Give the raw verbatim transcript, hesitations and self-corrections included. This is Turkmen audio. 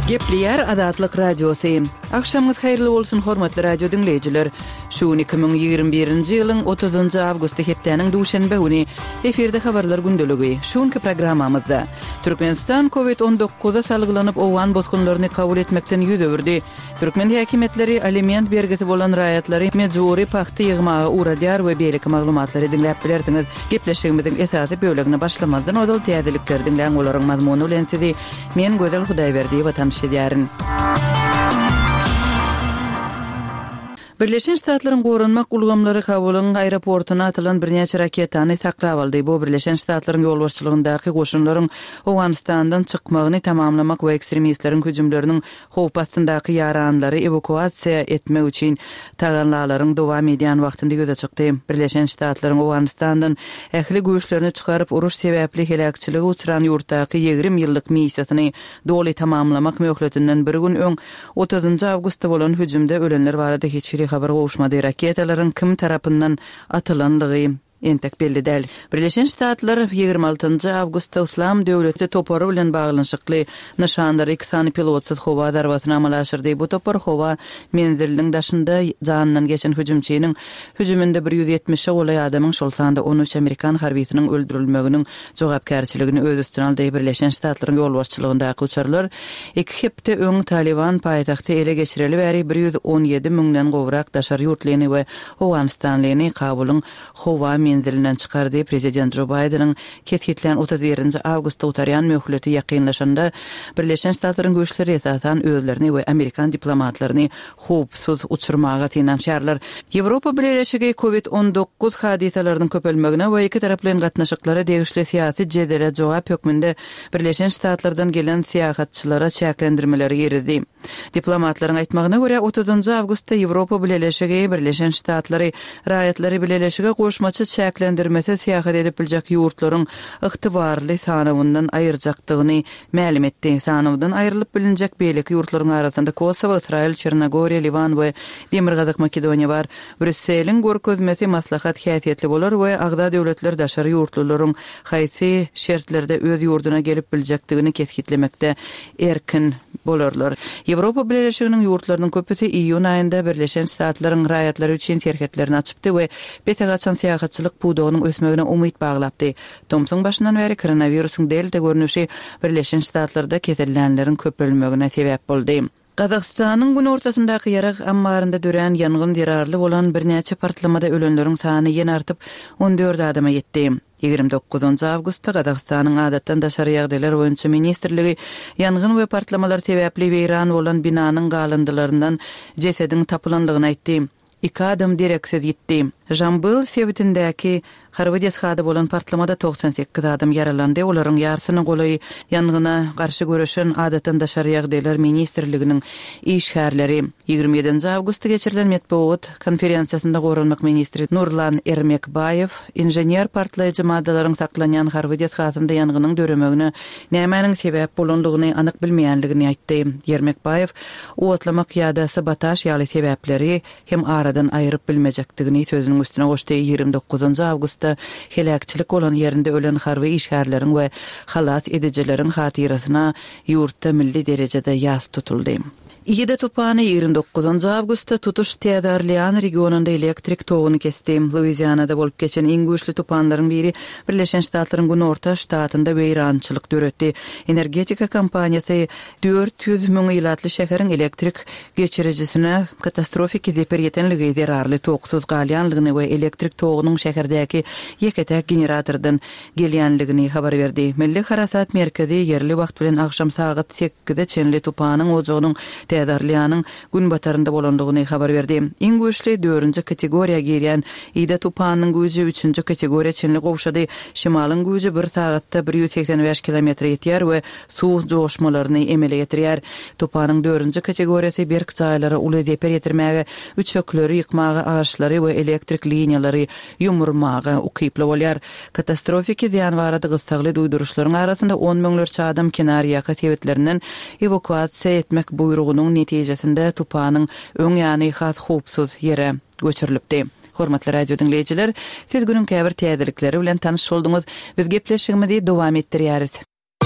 Gepleýär Azatlyk Radiosy. Agşamyňyz haýyrly bolsun, hormatly radio diňleýjiler. Şu gün iki müň ýigrimi birinji ýylyň otuzynjy awgusty hepdäniň duşenbe güni. Efirde habarlar gündeligi. Şu günki programmamyzda Türkmenistan Covid on dokuza salgylanyp owgan bosgunlaryny kabul etmekden ýüz öwürdi. Türkmen häkimiýetleri aliment bergisi bolan raýatlary mejbury pagta ýygmaga ugradýar we beýleki maglumatlary diňläp bilersiňiz. Gepleşigimiziň esasy bölegine başlamazdan ozal täzelikleri diňläň, olaryň mazmuny bilen sizi men Gözel Hudaýberdiýewa tanyş edýärin. Birleşen Ştatlaryň goranmak ulgamlary Kabulyň aeroportuna atylan birnäçe raketany saklap aldy. Bu Birleşen Ştatlaryň ýolbaşçylygyndaky goşunlaryň Owganystandan çykmagyny tamamlamak we ekstremistleriň hüjümleriniň howp astyndaky ýaranlary ewakuasiýa etmek üçin tagallalaryň dowam edýän wagtynda ýüze çykdy. Birleşen Ştatlaryň Owganystandan ähli güýçlerini çykaryp, uruş sebäpli heläkçilige uçran ýurtdaky ýigrimi ýyllyk missiýasyny doly tamamlamak möhletinden bir gün öň otuzynjy awgustda bolan hüjümde ölenler barada hiç hili habar gowuşmady. Raketalaryň kim tarapyndan atylandygy entek belli däl. Birleşen Ştatlar ýigrimi altynjy awgustda Yslam döwleti topary bilen baglanyşykly nyşanlary iki sany pilotsyz howa zarbasyny amala aşyrdy. Bu topar howa menziliniň daşynda janyndan geçen hüjümçiniň hüjüminde bir ýüz ýetmişe golaý adamyň, şol sanda on üç amerikan harbysynyň öldürilmeginiň jogapkärçiligini öz üstüne aldy. Birleşen Ştatlaryň ýolbaşçylygyndaky uçarlar iki hepde öň Taliban paýtagty ele geçireli bäri bir ýüz on ýedi müňden gowrak daşary ýurtlyny we Owganystanlyny Kabulyň howa menzilinden çykardy. Prezident Jo Baýdeniň kesgitlän otuz birinji awgustda gutarýan möhleti ýakynlaşanda Birleşen Ştatlaryň güýçleri esasan özlerini we amerikan diplomatlaryny howpsuz uçurmaga synanyşarlar. Ýewropa Bileleşigi Covid on dokuz hadysalarynyň köpelmegine we iki taraplaýyn gatnaşyklara degişli syýasy jedele jogap hökmünde Birleşen Ştatlardan gelen syýahatçylara çäklendirmeleri girizdi. Diplomatlaryň aýtmagyna görä, otuzynjy awgustda Ýewropa Bileleşigi Birleşen Ştatlary raýatlary bileleşige goşmaça çäklendirmesi syýahat edip biljek ýurtlaryň ygtybarly sanawyndan aýyrjakdygyny mälim etdi. Sanawdan aýrylyp bilinjek beýleki ýurtlaryň arasynda Kosowo, Ysraýyl, Çernogoriýa, Liwan we Demirgazyk Makedoniýa bar. Brüsseliň görkezmesi maslahat häsiýetli bolar we agza döwletler daşary ýurtlularyň haýsy şertlerde öz ýurduna gelip biljekdigini kesgitlemekde erkin bolarlar. Ýewropa Bileleşiginiň ýurtlarynyň köpüsi iýun aýynda Birleşen Ştatlaryň raýatlary üçin serhetlerini açypdy we bete gaçan syýahatçylyk pudagynyň ösmegine umyt baglapdy. Tomsuň başyndan bäri koronawirusyň delta görnüşi Birleşen Ştatlarda kesellänleriň köpelmegine sebäp boldy. Gazagystanyň günortasyndaky ýarag ammarynda dörän ýangyn zerarly bolan birnäçe partlamada ölenleriň sany ýene artyp on dört adama ýetdi. Ýigrimi dokuzynjy awgustda Gazagystanyň adatdan daşary ýagdaýlar boýunça ministrligi ýangyn we partlamalar sebäpli weýran bolan binanyň galyndylaryndan jesediň tapylandygyny aýtdy. Iki adam dereksiz ýitdi. Jambyl sebitindäki harby desgada bolan partlamada togsan sekiz adam ýaralandy. Olaryň ýarsyny golaý ýangyna garşy göreşen adatdan daşary ýagdaýlar ministrliginiň işgärleri. Ýigrimi ýedinji awgustda geçirilen metbugat konferensiýasynda goranmak ministri Nurlan Ermekbaýew inžener partlaýjy maddalaryň saklanýan harby desgasynda ýangynyň döremegine nämäniň sebäp bolandygyny anyk bilmeýänligini aýtdy. Ermekbaýew otlamak ýa-da sabotaž ýaly sebäpleri hem aradan aýryp bilmejekdigini sözüniň üstüne goşdy. Ýigrimi dokuzynjy awgustda heläkçilik bolan ýerinde ölen harby işgärleriň we halas edijileriň hatyrasyna ýurtda milli derejede ýas tutuldy. Ida tupany ýigrimi dokuzynjy awgustda tutuş Täze Orlean regionynda elektrik toguny kesdi. Luizianada bolup geçen iň güýçli tupanlaryň biri Birleşen Ştatlaryň Günorta ştatynda weýrançylyk döretdi. Energetika kompaniýasy dört ýüz müň ilatly şäheriň elektrik geçirijisine katastrofiki zeper ýetenligi zerarly toksuz galýanlygyny we elektrik togunyň şäherdäki ýeke-täk generatordan gelýänligini habar berdi. Milli Harasat merkezi ýerli wagt bilen agşam sagat sekize çenli tupanyň ojagynyň Täze Orleanyň günbatarynda bolandygyny habar berdi. Iň güýçli dördünji kategoriýa girýän Ida tupanynyň güýji üçünji kategoriýa çenli gowşady. Şimalyň güýji bir sagatda bir ýüz segsen bäş kilometre ýetýär we suw joşmalaryny emele getirýär. Tupanyň dördünji kategoriýasy berk jaýlara uly zeper ýetirmäge, üçekleri ýykmaga, agaçlary we elektrik liniýalary ýumurmaga ukyply bolýar. Katastrofiki zyýan barada gyssagly duýduryşlaryň arasynda on müňlerçe adam kenarýaka sebetlerinden ewakuasiýa etmek buýrugynyň netijesinde tupanyň öň ýany has howpsuz ýere göçürilipdi. Hormatly radio diňleýjiler, siz günüň käbir täzelikleri bilen tanyş bolduňyz. Biz gepleşigimizi dowam etdirýäris.